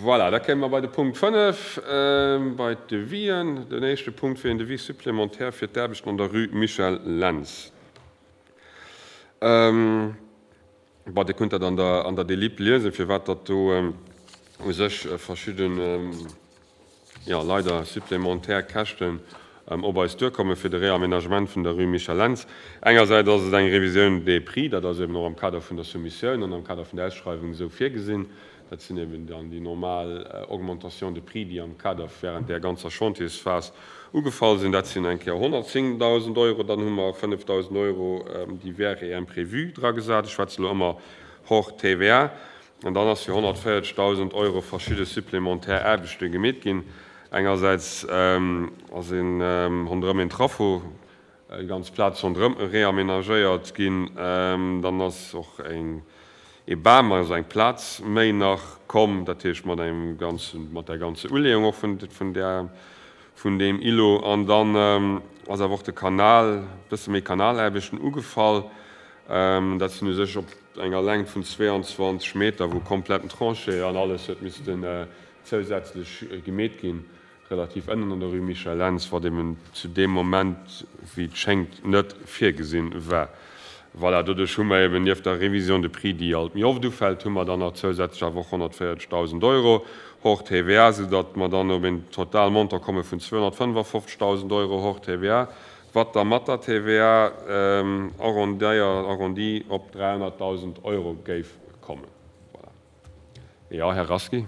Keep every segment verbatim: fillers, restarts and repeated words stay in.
Voilà, da kéime mer bei de Punkt fënnef, bei d'Devis'en. Den éischte Punkt wier en Devis supplémentaire fir d'Aarbechten an der Rue Michel Lentz. Bon, Dir kënnt dat an der, an der Delib liesen, firwat datt do u sech verschidden, jo, leider supplémentaire Käschten op eis duerkomme fir de Réaménagement vun der Rue Michel Lentz. Engersäits ass et eng Révisioun des prix, dat ass eben och am Kader vun der Soumissioun an am Kader vun der Ausschreiwung esou virgesinn. Dat sinn eben dann déi normal Augmentations de prix, déi am Kader während där ganzer Chantiersphas ugefall sinn. Dat sinn eng Kéier honnertzéngdausend Euro. Dann hu mer fënnefdausend Euro divers et imprévus dragesat. Ech schwätze elo ëmmer hors T V A. An dann ass fir honnertvéierzegdausend Euro verschidde supplémentaire Aarbechte gemeet ginn. Engersäits ass een ronderëm een Trafo, déi ganz Plaz ronderëm reamenagéiert ginn. Dann ass och eng ee Bam, also eng Plaz méi nach komm, dat heescht mat engem ganzen, mat der ganze Uleeung och vun, vun där, vun deem Îlot. An dann ass awer och de Kanal, bësse méi Kanalaarbechten ugefall. Dat sinn u sech op enger Längt vun zweeanzwanzeg Meter, wou kompletten Tranchée an alles huet missten zousätzlech gemeet ginn, relativ ënnen an der Rue Michel Lentz, wat eben zu deem Moment, wéi et schéngt, net virgesinn war. Voilà, doduerch hu mer eben nieft der Révision de prix, déi alt méi oft ufält, hu mer dann nach zousätzlech awer och honnertvéierzegdausend Euro hors T V A, soudatt mer dann op een Totalmontant komme vun zweehonnertfënnefafofzegdausend Euro hors T V A, wat da mat der T V A arrondéiert, arrondi op dräihonnertdausend Euro géif kommen. Voilà. Jo, Här Rasqui.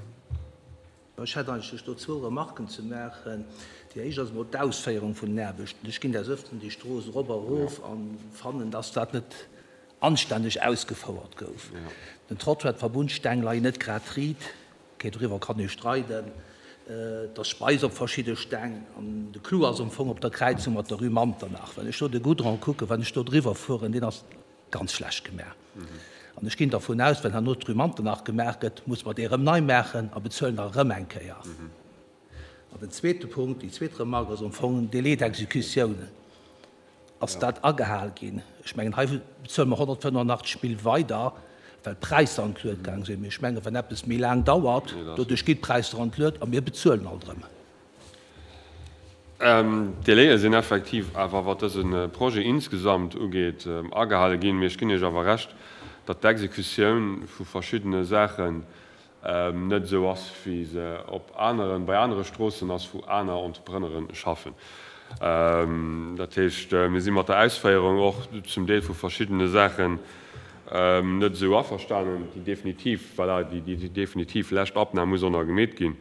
Ech hätt eigentlech do zwou Remarken ze maachen. Déi éischt ass emol d'Ausféierung vun den Aarbechten. Ech ginn des Ëfteren déi Strooss erop a erof a fannen, dass dat net anstänneg ausgefouert gouf. Den Trottoir, d'Verbundsteng leien net grad riit. Okay, doriwwer kann ee streiden. Et ass Speis op verschidde Steng an de Clou ass am Fong op der Kräizung mat der Rue Manternach. Wann ech do de Goudron kucken, wann ech do driwwer fueren, deen ass ganz schlecht gemaach. An ech ginn dervun aus, wenn herno d'Rue Manternach gemaach gëtt, muss mer déi erëm nei maachen a bezuelen der erëm eng Kéier. An den zweete Punkt, déi zweet Remarque ass am Fong Délai d'exécution. Ass dat agehal ginn? Ech mengen, hei bezuele mer honnertfënnefundachtzeg Mille weider, well d'Präisser an d'Luet gaang sinn. Mee ech mengen, wann eppes méi laang dauert, doduerch ginn d'Präisser an d'Luet a mir bezuelen alt erëm. D'Délaie sinn effektiv awer, wat dëse Projet insgesamt ugeet, agehale ginn. Mee ech ginn Iech awer Recht, datt d'Exekutioun vu verschiddene Saachen net esou ass, wéi se op aneren, bei anere Stroossen ass, wou aner Entrepreneuren schaffen. Dat heescht, mir si mat der Ausféierung och zum Deel vu verschiddene Saachen net esou averstanen. Déi definitiv, voilà, déi definitiv lescht Abnam muss och nach gemeet ginn.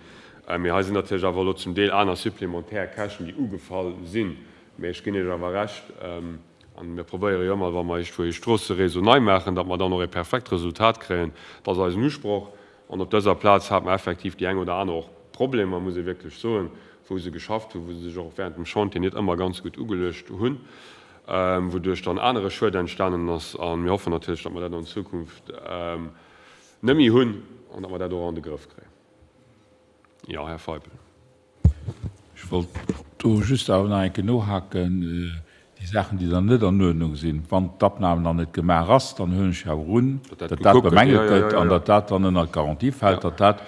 Mee hei sinn natierlech awer elo zum Deel aner supplémentaire Käschten, déi ugefall sinn. Mee ech ginn Iech awer Recht, an mir probéiere jo ëmmer, wa mer iergendwou ee Stroosseréseau nei maachen, datt mer dann och ee perfekt Resultat kréien. Dat ass eisen Usproch. An op dëser Plaz hate mer effektiv déi eng oder aner och Problemer, muss ee wierklech soen, wou se geschafft hunn, wou se sech och während dem Chantier net ëmmer ganz gutt ugeluecht hunn, wouduerch dann anere Schued entstanen ass. A mir hoffen natierlech, datt mer dat an Zukunft net méi hunn an datt mer dat och an de Grëff kréien. Jo, Här Feipel. Ech wollt do just awer nach eng Kéier nohaken. Déi Saachen, déi dann net an Uerdnung sinn, wann d'Abnahme nach net gemaach ass, dann huelen ech awer un, datt dat bemängelt gëtt an datt dat dann ënner d'Garantie fält, datt dat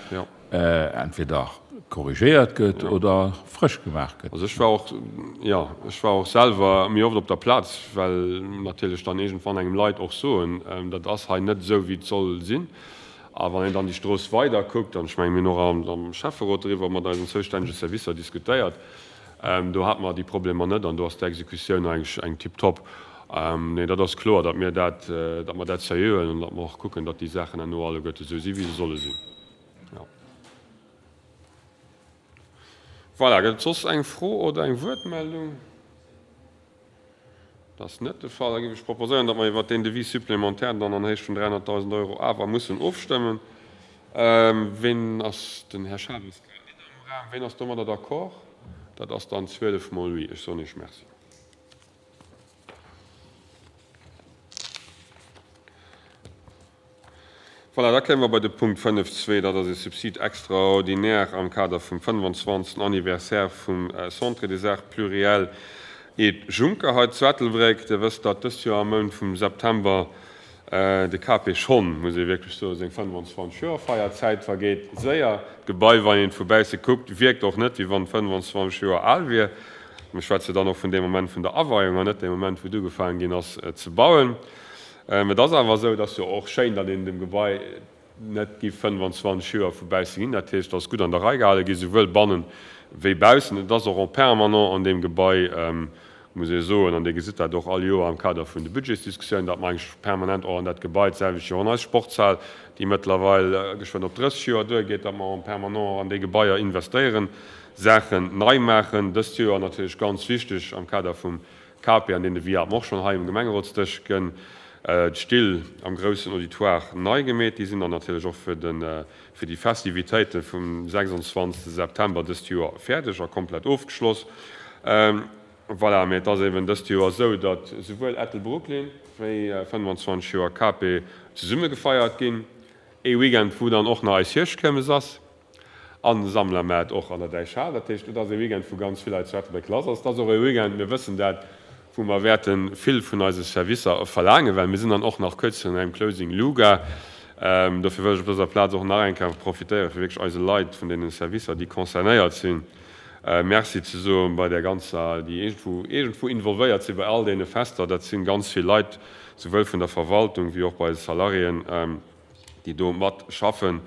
entweder korrigéiert gëtt oder frësch gemaach gëtt. Also ech war och, jo, ech war och selwer méi oft op der Plaz, well natierlech dann iergendwann engem Leit och soen, dat ass hei net esou, wéi et soll sinn. A wann een dann déi Strooss weider kuckt, an ech mengen, mir hunn och am Schäfferot doriwwer mat eisen zoustännege Servicer diskutéiert, do hate mer déi Problemer net an do ass d'Exekutioun eigentlech eng tiptop. Nee, dat ass kloer, datt mir dat, datt mer dat seriö huelen an datt mer och kucken, datt déi Saachen herno alleguerte esou sinn, wéi se solle sinn. Jo. Voilà, gëtt et soss eng Fro oder eng Wuertmeldung? Dat ass net de Fall. Da géif ech proposéieren, datt mer iwwert deen Devis supplémentaire dann an Héicht vun dräihonnertdausend Euro awer mussen ofstëmmen. Ween ass, den Här Schaaf ass grad net am Raum, ween ass domadder d'accord? Dat ass dann zwielef mol oui. Ech soen Iech Merci. Voilà, da kéime mer bei de Punkt fënnef zwee. Dat ass e Subside extraordinaire am Kader vum fënnefanzwanzegsten Anniversaire vum Centre des Arts Pluriels Ed Juncker hei zu Ettelbréck. Dir wësst, datt dëst Joer am Mount vum September De K P schonn, muss ee wierklech soen, seng fënnefanzwanzeg Joer feiert. D'Zäit vergeet séier. D'Gebai, wann een et vu bausse kuckt, wierkt och net, wéi wann et fënnefanzwanzeg Joer al wier. Mir schwätze dann och vun deem Moment vun der Aweiung an net deem Moment, wou et ugefaangen ginn ass ze bauen. Et ass awer esou, et ass jo och schéin, datt een dem Gebai net giff fënnefanzwanzeg Joer vu bausse ginn. Dat heescht, et ass gutt an der Rei gehale gi, souwuel bannen wéi baussen. Et ass och en permanent an deem Gebai, muss ee soen, an Dir gesitt dat och all Joer am Kader vun de Budgetsdiskussiounen, datt mer eigentlech permanent och an dat Gebai, d'selwecht jo och an eis Sportshal, déi mëttlerweil geschwënn op drësseg Joer duergeet, datt mer en permanent an déi Gebaier investéieren, Saachen nei maachen. Dëst Joer natierlech ganz wichteg am Kader vum K P, an deen Devis hat mer och schonn hei um Gemengerotsdësch gënn, d'Still am groussen Auditoire nei gemeet. Déi sinn dann natierlech och fir de fir déi Festivitéite vum sechsundzwanzegste September dëst Joer fäerdeg a komplett ofgeschloss. Voilà, mee et ass eben dëst Joer esou, datt souwuel Ettelbrooklyn wéi fënnefanzwanzeg Joer K P zesumme gefeiert ginn. Ee Weekend, wou dann och nach eis Hierschtkiermes ass an Sammlermaart och an der Däichhal. Dat heescht, et ass ee Weekend, wou ganz vill Leit zu Ettelbréck lass ass. Et ass och ee Weekend, mir wëssen dat, wou mer wäerte vill vun eise Servicer verlaangen, well mir sinn dann och nach kuerz virun engem Closing Luga. Dofir wëll ech op dëser Plaz och nach eng Kéier profitéieren, fir wierklech eise Leit vun deene Servicer, déi concernéiert sinn, Merci ze soen bei där ganzer, déi iergendwou, iergendwou involvéiert si bei all deene Fester. Dat si ganz vill Leit, souwuel vun der Verwaltung wéi och bei eise Salariéen, déi do mat schaffen.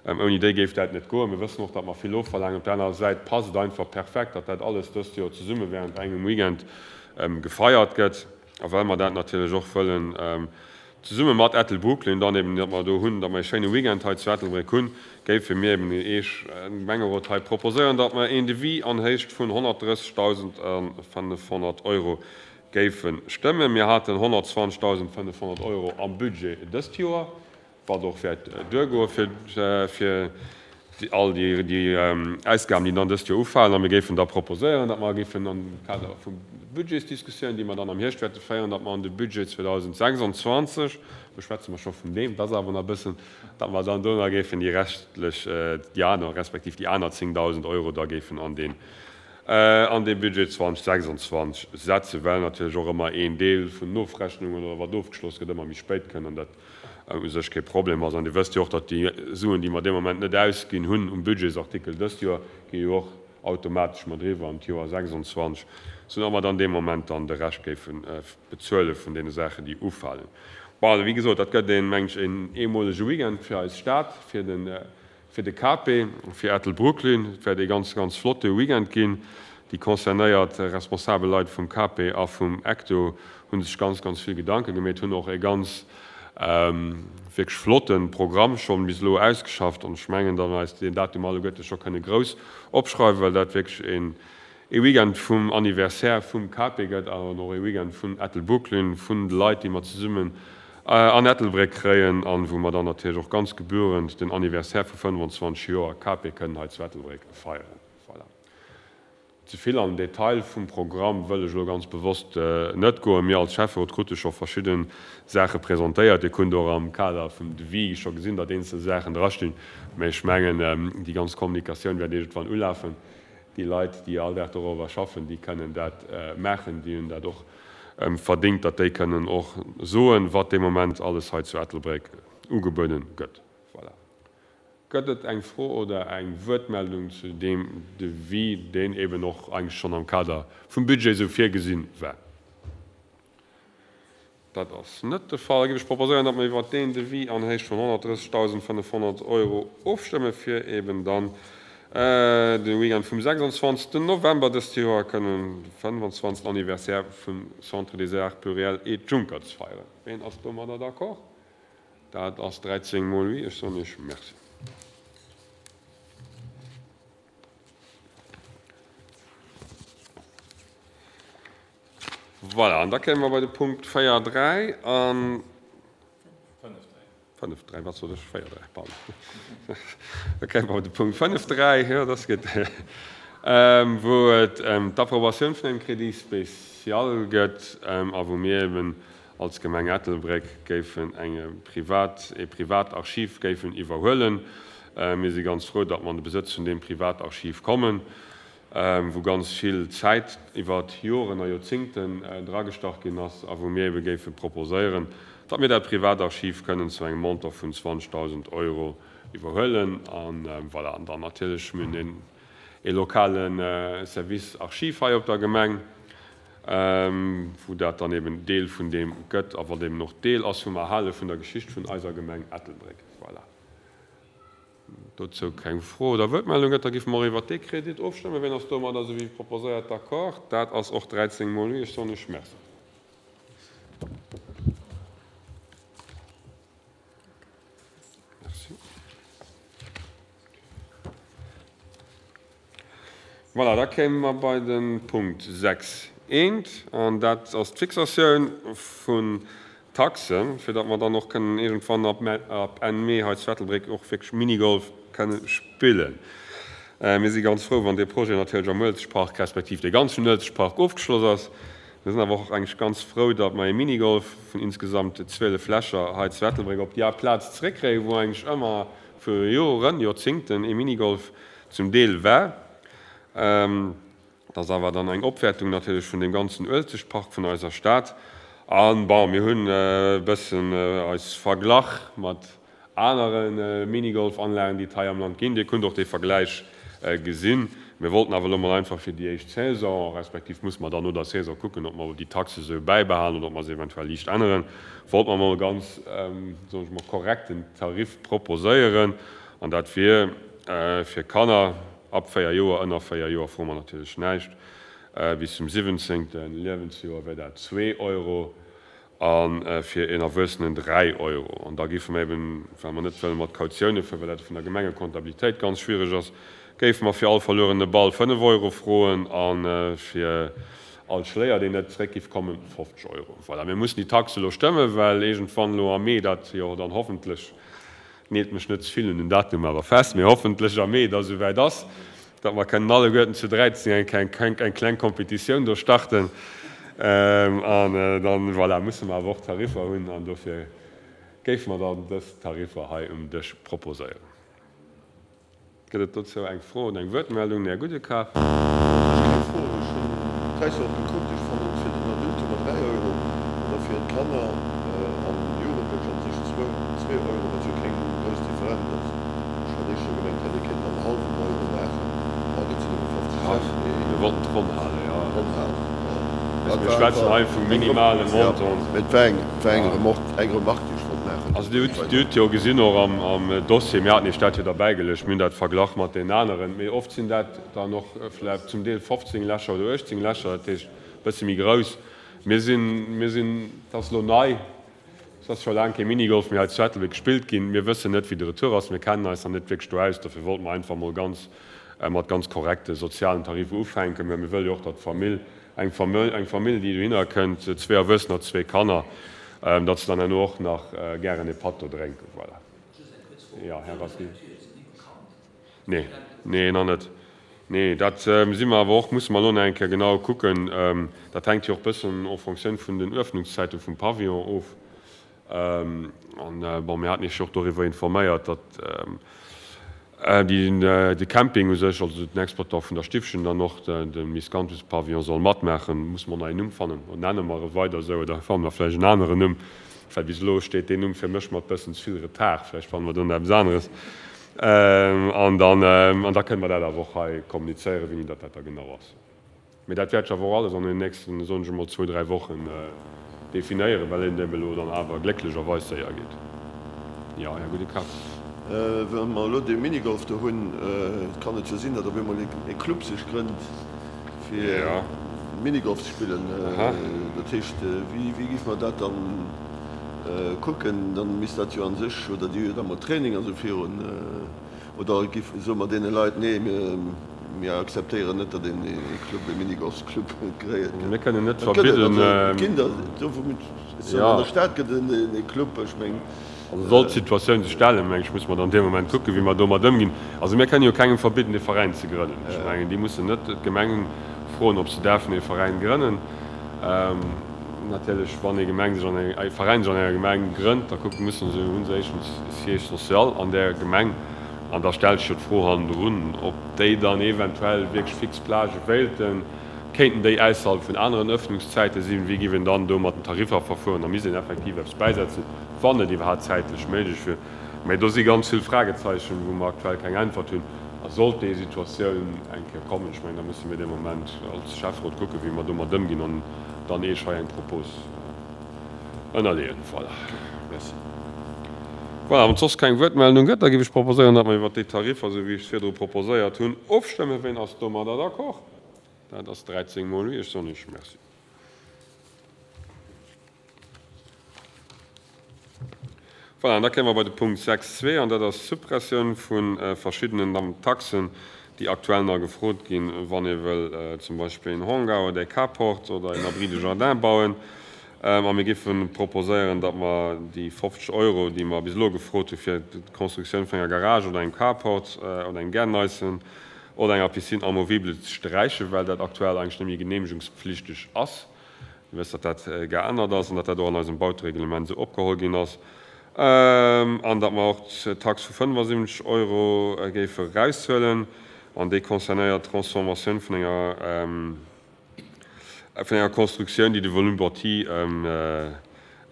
Ouni déi géif dat net goen. Mir wëssen och, datt mer vill ofverlaangen. Op der anerer Säit passt et einfach perfekt, datt dat alles dëst Joer zesumme während engem Weekend gefeiert gëtt. A well mer dat natierlech och wëllen zesumme mat Ettelbrooklyn dann eben, datt mer do hunn, datt mer e schéine Weekend hei zu Ettelbréck hunn, géife mir eben Iech, dem Gemengerot, hei proposéieren, datt mer een Devis an Héicht vun honnertdrëssegdausendfënnefhonnert Euro géife stëmmen. Mir haten honnertzwanzegdausendfënnefhonnert Euro am Budget dëst Joer, wat och wäert duergoe fir fir all déi déi Ausgaben, déi dann dëst Joer ufalen. A mir géifen da proposéieren, datt mer géifen am Kader vum Budgetsdiskussioun, déi mer dann am Hierscht wäerte féieren, datt mer an de Budget zweedausendsechsundzwanzeg, do schwätze mer scho vun deem, dat ass awer nach e bëssen, datt mer dann do nach géifen déi reschtlech, déi aner, respektiv déi aner zéngdausend Euro da géifen an deen an dee Budget zweedausendsechsundzwanzeg setzen, well natierlech och ëmmer een Deel vun Nofrechnungen oder wat ofgeschloss gëtt, ëmmer méi spéit kënn an dat u sech kee Problem ass. An Dir wësst jo och, datt déi Suen, déi mer dee Moment net ausginn hunn um Budgetsartikel dëst Joer, gi jo och automatesch mat eriwwer an d'Joer sechsundzwanzeg, soudatt mer dann dee Moment dann de Rescht géife bezuele vun deene Saachen, déi ufalen. Bon, wéi gesot, dat gëtt een, mengen ech, een eemolege Weekend fir eis Stad, fir de fir de K P, fir Ettelbrooklyn. Et wäert ee ganz, ganz flotte Weekend ginn. Déi concernéiert responsabel Leit vum K P a vum Ecto hu sech ganz, ganz vill Gedanke gemeet, hunn och e ganz wierklech flotte Programm schonn bis elo ausgeschafft an ech mengen, datt mer eis deen Datum alleguerte scho kënne grouss opschreiwen, well dat wierklech een ee Weekend vum Anniversaire vum K P gëtt an och ee Weekend vun Ettelbrooklyn, vun de Leit, déi mer zesummen an Ettelbréck kréien an wou mer dann natierlech och ganz gebührend den Anniversaire vu fënnefanzwanzeg Joer K P kënnen hei zu Ettelbréck feieren. Voilà. Ze vill an den Detail vum Programm wëll ech elo ganz bewosst net goen. Mir als Schäfferot krute scho verschidde Saache presentéiert. Dir kunnt och am Kader vum Devis scho gesinn, datt eenzel Saachen drastinn. Mä ech mengen, déi ganz Kommunikatioun wäert iergendwann ulafen. Déi Leit, déi all Dag dorobber schaffen, déi kënnen dat maachen. Déi hunn dat och verdéngt, datt déi kënnen och soen, wat dee Moment alles hei zu Ettelbréck ugebueden gëtt. Voilà. Gëtt et eng Fro oder eng Wuertmeldung zu deem Devis, deen eben och eigentlech schonn am Kader vum Budget esou virgesinn war? Dat ass net de Fall. Da géif ech proposéieren, datt mer iwwert deen Devis an Héicht vun honnertdrëssegdausendfënnefhonnert Euro ofstëmme fir eben dann de Weekend vum sechsundzwanzegsten November dëst Joer kënnen de fënnfanzwanzegsten Anniversaire vum Centre des Arts Pluriels et Juncker ze feieren. Ween ass domadder d'accord? Dat ass dräizéng mol oui. Ech soen Iech Merci. Voilà, an da kéime mer bei de Punkt véier dräi an. Fënnef dräi, wat sot ech? Véier dräi, pardon. Da kéime mer bei de Punkt fënnef dräi, jo, dat ass gutt, wou et ëm d'Approbatioun vun engem Crédit spécial gëtt a wou mir eben als Gemeng Ettelbréck géifen eng privat, e Privatarchiv géifen iwwerhuelen. Mir si ganz frou, datt mer an de Besëtz vun deem Privatarchiv kommen, wou ganz vill Zäit iwwer Joren a Joerzingten dragestach ginn ass a wou mir ebe géife proposéieren, datt mir dat Privatarchiv kënnen zu engem Montant vun zwanzegdausend Euro iwwerhuelen. An voilà, an dann natierlech, mir hunn ee lokale Service Archiv hei op der Gemeng, wou dat dann eben Deel vun deem gëtt a wat eben och Deel ass vum Erhale vun der Geschicht vun eiser Gemeng Ettelbréck. Voilà. Dozou keng Fro oder Wuertmeldung gëtt, da géife mer och iwwert dee Kredit ofstëmmen. Wien ass domadder, esou wéi proposéiert, d'accord? Dat ass och dräizéng mol oui. Ech soen Iech Merci. Merci. Voilà, da kéime mer bei de Punkt sechs eent, an dat ass d'Fixatioun vun Taxen, fir datt mer dann och kënnen iergendwann ab Enn Mee hei zu Ettelbréck och wierklech Minigolf kënne spillen. Mir si ganz frou, wann dee Projet natierlech am Uelzechtpark, respektiv dee ganzen Uelzechtpark ofgeschloss ass. Mir sinn awer och eigentlech ganz frou, datt mer ee Minigolf vun insgesamt zwielef Lächer hei zu Ettelbréck op déi Plaz zeréckkréien, wou eigentlech ëmmer vu Joren, Joerzingten ee Minigolf zum Deel war. Dat ass awer dann eng Opwäertung natierlech vun deem ganzen Uelzechtpark vun eiser Stad. An, bon, mir hunn e bëssen eis verglach mat anere Minigolfanlagen, déi et hei am Land ginn. Dir kunnt och dee Vergläich gesinn. Mir wollten awer elo mol einfach fir déi éischt Saison, respektiv musse mer dann no der Saison kucken, ob mer déi Taxe esou bäibehalen oder ob mer se eventuell liicht änneren, wollte mer mol e ganz, soen ech mol, korrekten Tarif proposéieren. An dat wier fir Kanner ab véier Joer, ënner véier Joer froe mer natierlech näischt, bis zum siwwenzéngte Liewensjoer wär dat zwee Euro a fir een Erwuessenen dräi Euro. An da géife mer eben, well mer net wëlle mat Kautioune fueren, well dat vun der Gemengekontabilitéit ganz schwiereg ass, géife mer fir all verluerene Ball fënnef Euro froen a fir all Schléier, deen net zeréck géif kommen, fofzeg Euro. Voilà, mir mussen déi Taxe elo stëmmen, well iergendwann elo am Mee dat jo dann hoffentlech, Neelt mech net ze vill un den Datum awer fest, mee hoffentlech am Mee da souwäit ass, datt mer kënnen alleguerten zu dräizéng eng eng kleng Competitioun do starten. An dann, voilà, musse mer awer och Tariffer hunn an dofir géife mer dann dës Tariffer hei um Dësch proposéieren. Gëtt et dozou eng Fro oder eng Wuertmeldung? Här Gudekar. Ech keng Fro. Ech hunn d'Präisser och gekuckt. Ech fannen fir den Adulte mat dräi Euro an da fir d'Kanner an Jugendlech an sech zwou, zwee Euro, wat jo keng grouss Differenz ass. Ech hat éischter gemengt, hätt ee kéinten an hallwen Euro maachen. Bon, dat sinn nëmme fofzeg Cent, mee. Mir wollten d'Ronn halen, jo. Ronn halen, jo. Mir schwätzen hei vu minimale Montanten. Mee et war eng, et war eng Remorque, eng Remarque, déi ech wollt maachen. Also Dir hutt, Dir hutt jo gesinn och am, am Dossier, mir haten Iech dat jo derbäigeluecht, mir hunn dat verglach mat deenen aneren, mee oft sinn dat dann och vläicht zum Deel fofzéng Lächer oder uechtzéng Lächer, dat heescht e bësse méi grouss. Mir sinn, mir sinn, et ass elo nei, et ass scho laang kee Minigolf méi hei zu Ettelbréck gespillt ginn, mir wëssen net, wéi de Retour ass, mir kennen eis nach net wierklech do aus, dofir wollte mer einfach mol ganz, mat ganz korrekte sozialen Tarifer ufänken, well mir wëlle jo och, datt d'Famill, eng Famill, eng Famill, déi dohinner kënnt, zwee Erwuessener, zwee Kanner, datt se dann herno och nach gären e Patt do drénken. Voilà. Jo, Här Rasqué. Nee, nee, nach net. Nee, dat si mer awer och, musse mer elo nach eng Kéier genau kucken. Dat hänkt jo och e bëssen en fonctioun vun den Öffnungszäite vum Pavillon of. An, bon, mir haten Iech jo och doriwwer informéiert, datt de Camping u sech, also den Exploitant vun der Stiffchen, dann och de Miscanthus-Pavillon soll matmaachen. Musse mer nach een Numm fannen. Oder nenne mer e weider esou oder fanne mer vläicht en aneren Numm, well bis elo steet deen Numm fir mech mat bëssen ze vill Retard. Vläicht fanne mer do nach eppes aneres. An dann, an da kënne mer dat awer och hei kommunizéieren, wéini datt dat da genau ass. Mee dat wäert sech awer och alles an den nächsten, soen ech emol, zwou, dräi Wochen definéieren, well et eben elo dann awer glécklecherweis séier geet. Jo, Här Goudekar. Wa mer elo dee Minigolf do hunn, kann et jo sinn, datt op eemol ee Club sech grënnt, fir Minigolf ze spillen. Dat heescht, wéi géife mer dat dann kucken? Dann misst dat jo a sech, oder déi hu jo da mol Training a sou virun. Oder giff, soe mer deene Leit, nee, mir, mir akzeptéieren net, datt een ee Club, ee Minigolfsclub gréiert gëtt. Mir kënnen net verbidden. Et ginn der, do wou mir, soen, an der Stad gëtt et ee Club, ech meng. Also sollt d'Situatioun sech stellen, meng ech, musse mer dann dee Moment kucken, wéi mer domat ëmginn. Also mir kënnen jo kengem verbidden, ee Veräin ze grënnen. Ech mengen, déi mussen net d'Gemeng froen, ob se däerfen ee Veräin grënnen. Natierlech, wann ee Gemeng sech an eng, ee Veräin sech an enger Gemeng grënnt, da kucken, mussen se, hu se éischtens e Siège social an där Gemeng an da stellt sech jo d'Fro hannendrun, ob déi dann eventuell wierklech fix Plagë wéilten. Kéinten déi ausserhalb vun aneren Ëffnungszäite sinn? Wéi giff een dann do mat den Tariffer verfueren? Da misst een effektiv eppes bäisetzen, wann et iwwerhaapt zäitlech méiglech wier. Mä do si ganz vill Fragezeichen, wou mer aktuell keng Äntwert hunn. A sollt déi Situatioun eng Kéier kommen, ech mengen, da musse mir dee Moment als Schäfferot kucken, wéi mer domat ëmginn an dann Iech hei eng Propos ënnerleeën. Voilà. Merci. Voilà, wann et soss keng Wuertmeldung gëtt, da géif ech proposéieren, datt mer iwwert déi Tariffer, esou wéi ech se virdru proposéiert hunn, ofstëmmen. Ween ass domadder d'accord? Dat ass dräizéng mol oui. Ech soen Iech Merci. Voilà, an da kéime mer bei de Punkt sechs zwee, an dat ass d'Suppressioun vu verschiddenen Taxen, déi aktuell nach gefrot ginn, wann ee wëll zum Beispill een Hangar oder ee Carport oder een Abri de jardin bauen. A mir géife proposéieren, datt mer déi fofzeg Euro, déi mer bis elo gefrot hu fir d'Constructioun vun enger Garage oder engem Carport oder engem Gärtneisen oder enger Piscine amovible, ze sträichen, well dat aktuell eigentlech net méi genehmegungspflichteg ass. Dir wësst, datt dat geännert ass an datt dat och an eisem Bautereglement esou opgeholl ginn ass. An datt mer och d'Tax vu fënnefasiwwenzeg Euro géife eraushuelen. An déi concernéiert d'Transformatioun vun enger, vun enger Constructioun, déi de Volume bâti ëm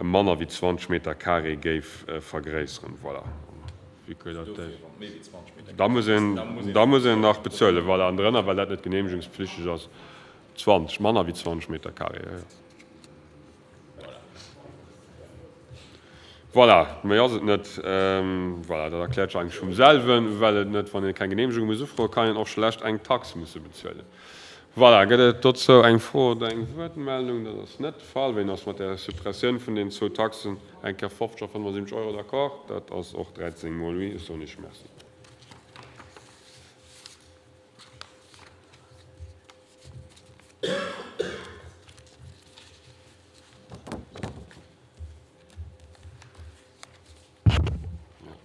manner wéi zwanzeg Meter carré géif vergréisseren. Voilà. Da muss een, da muss een nach bezuelen. Voilà. An drënner, well dat net genehmegungspflichteg ass, zwanzeg, manner wéi zwanzeg Meter carré, jo, jo. Voilà, méi ass et net. Voilà, dat erkläert sech eigentlech vum selwen, well et net, wann ee keng Genehmegung muss ufroen, kann een och schlecht eng Tax musse bezuelen. Voilà, gëtt et dozou eng Fro oder eng Wuertmeldung? Dat ass net de Fall. Ween ass mat där Suppressioun vun deenen zwou Taxen, eng Kéier fofzeg a fënnefasiwwenzeg Euro, d'accord? Dat ass och dräizéng mol oui. Ech soen Iech Merci.